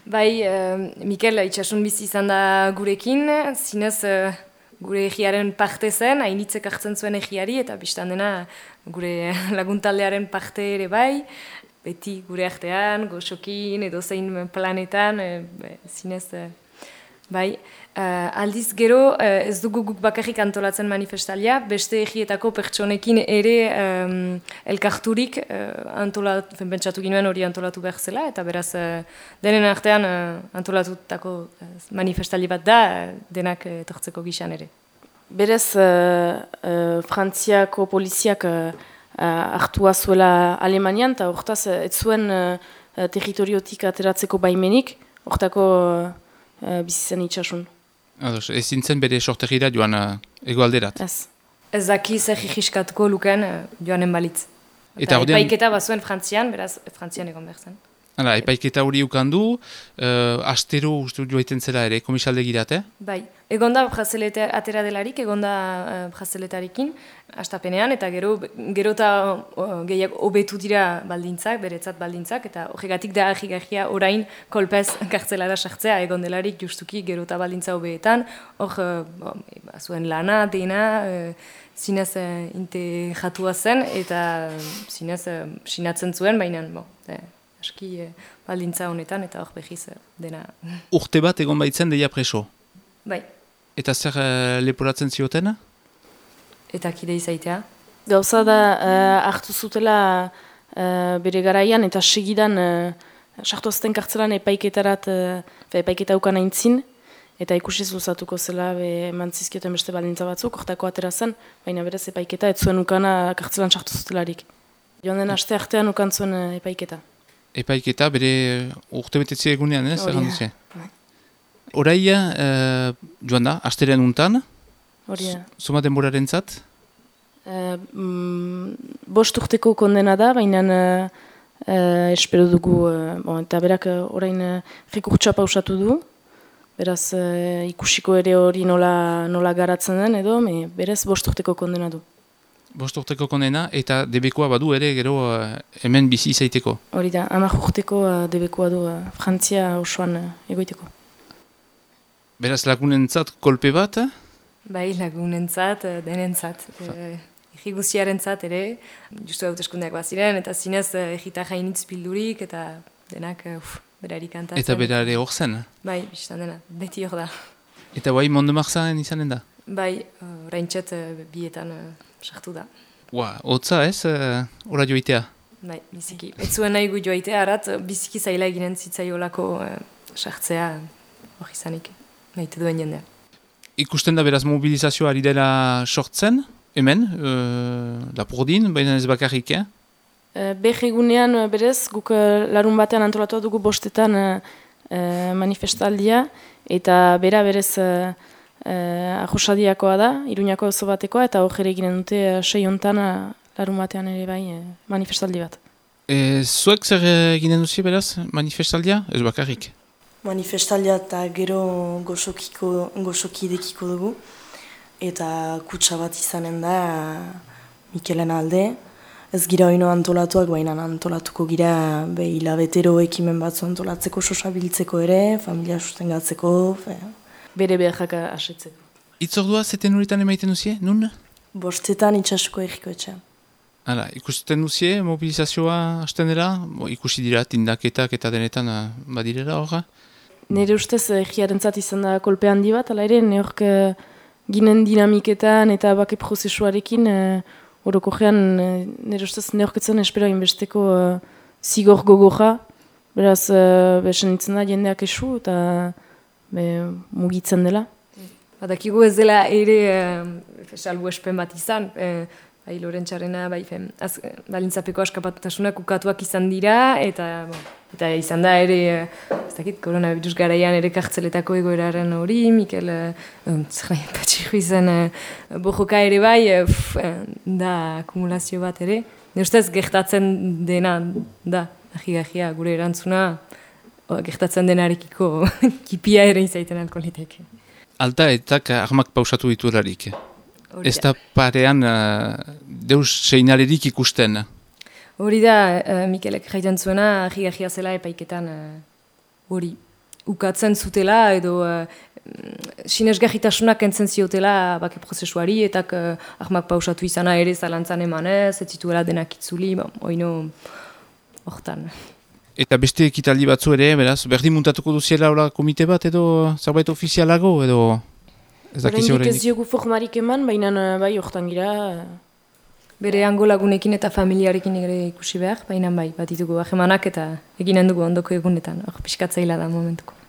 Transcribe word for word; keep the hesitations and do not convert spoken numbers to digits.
Bai, uh, Mikel itxasun bizi izan da gurekin, zinez uh, gure egiaren parte zen, hainitzek hartzen zuen egiari, eta biztan dena gure laguntaldearen parte ere bai, beti gure artean, goxokin, edo zein planetan, uh, zinez, uh, bai. Uh, aldiz gero, uh, ez dugu guk bakarrik antolatzen manifestalia, beste egietako pertsonekin ere um, elkarturik uh, antolatu, pentsatu ginoen hori antolatu behar zela, eta beraz uh, denen artean uh, antolatutako uh, manifestali bat da, uh, denak uh, etortzeko gixan ere. Berez, uh, uh, Frantziako poliziak uh, uh, hartua zuela Alemanian, eta hortaz, uh, ez zuen uh, territoriotik ateratzeko baimenik, hortako uh, uh, bizitzen itxasun. Ados, ez zintzen bere sortegira joan uh, egoalderat. Ez. Ez daki zer jiskatuko luken uh, joanen balitz. Eta, eta ordean... epaiketa bazuen Frantzian, beraz Frantzian egon behar zen. Hala, epaiketa hori ukandu, uh, astero uste joaiten zela ere, komisalde girate? Bai, egon da brazeleta atera delarik, egon da uh, brazeletarekin, astapenean, eta gero, gero eta uh, gehiago hobetu dira baldintzak, beretzat baldintzak, eta horregatik da ahigarria orain kolpez kartzelara sartzea, egon delarik justuki gero eta baldintza hobeetan, hor uh, zuen lana, dena, uh, zinez uh, integratua zen, eta uh, zinez uh, sinatzen zuen, baina, bo, uh, aski eh, baldintza honetan, eta hor behiz eh, dena. Urte bat egon baitzen deia preso? Bai. Eta zer uh, leporatzen zioten? Eta kide izaitea? Gauza da, uh, hartu zutela uh, bere garaian, eta segidan uh, sartu azten kartzelan epaiketarat, uh, epaiketa ukan aintzin, eta ikusi zuzatuko zela emantzizkioten beste baldintza batzuk, hortako atera zen, baina berez epaiketa, ez zuen ukana kartzelan sartu zutelarik. Joan den aste artean ukan zuen uh, epaiketa. Epaiketa bere urte betetzi egunean, ez? Horia. Horaia, uh, joan da, asterean untan? Horia. Zuma denboraren zat? Uh, mm, bost urteko kondena da, baina uh, uh, espero dugu, uh, bon, eta berak uh, orain uh, rekurtsa pausatu du, beraz uh, ikusiko ere hori nola, nola garatzen den edo, me, berez bost urteko kondena du. Bost urteko kondena, eta debekoa badu ere gero uh, hemen bizi izaiteko. Hori da, hamar urteko uh, debekoa du uh, Frantzia osoan uh, egoiteko. Beraz lagunentzat kolpe bat? Eh? Bai, lagunentzat, denentzat. Egiguziarentzat ere, justu hauteskundeak baziren, eta zinez egita jainitz bildurik, eta denak uf, berari kantatzen. Eta berare hor zen? Bai, biztan dena, beti hor da. Eta bai, Mondemarzaen izanen da? Bai, oraintxet bietan sartu da. Ua, hotza ez, ora joitea? Bai, biziki. Ez zuen nahi gu joitea, arat, biziki zaila eginen zitzaiolako sartzea hori izanik, nahite duen jendea. Ikusten da beraz mobilizazioa ari dela sortzen, hemen, uh, Lapurdin, baina ez bakarrik, eh? Uh, Beh egunean berez, guk uh, larun batean antolatu dugu bostetan uh, uh, manifestaldia, eta bera berez uh, uh, ahosadiakoa da, Iruñako oso batekoa, eta hor ere ginen dute uh, sei hontan uh, larun batean ere bai uh, manifestaldi bat. E, zuek zer eginen duzi beraz, manifestaldia? Ez bakarrik? Manifestaldia eta gero goxokiko, goxokidekiko dugu, eta kutsa bat izanen da Mikelen alde. Ez gira oino antolatuak, baina antolatuko gira be hilabetero ekimen batzu antolatzeko, sosabiltzeko ere, familia sustengatzeko. Fe. Bere beharrak asetzeko. Itzordua zeten horitan emaiten duzie, nun? Bostetan itxasuko egiko etxean. Hala, ikusten duzie, mobilizazioa hasten dela, ikusi dira tindaketak eta denetan uh, badirela horra? Nire ustez egiarentzat izan da kolpe handi bat, ala ere, neork uh, ginen dinamiketan eta bake prozesuarekin, uh, orokogean, uh, nire ustez neorketzen espero inbesteko uh, zigor gogoja, beraz, uh, besen nintzen da jendeak esu eta be, mugitzen dela. Badakigu ez dela ere uh, salbu espen bat izan, uh, bai Lorentxarena, bai fem, az, balintzapeko askapatutasunak ukatuak izan dira, eta, bon, eta izan da ere, ez dakit, koronavirus garaian ere kartzeletako egoeraren hori, Mikel, uh, zer patxiku izan, uh, bojoka ere bai, uh, f, uh, da akumulazio bat ere. Ne ustez, gertatzen dena, da, ahi-ahia, gure erantzuna, o, gertatzen denarekiko kipia ere izaiten alko liteke. Alta eta armak pausatu diturarik. Ez da parean uh, deus seinalerik ikusten. Hori da, uh, Mikelek jaiten zuena, ahi-ahia zela epaiketan hori. Uh, ukatzen zutela edo uh, sinesgarritasunak entzen ziotela bake prozesuari, eta uh, ahmak pausatu izana ere zalantzan emanez, ez zituela denak itzuli, ba, oino hortan. Eta beste ekitaldi batzu ere, beraz, berdin muntatuko duziela hola komite bat edo zerbait ofizialago edo ez dakizu horrendik? Ez diogu formarik eman, baina bai hortan gira. Bere hango lagunekin eta familiarekin ere ikusi behar, baina bai, bat ditugu ahemanak eta eginen dugu ondoko egunetan, hor piskatzaila da momentuko.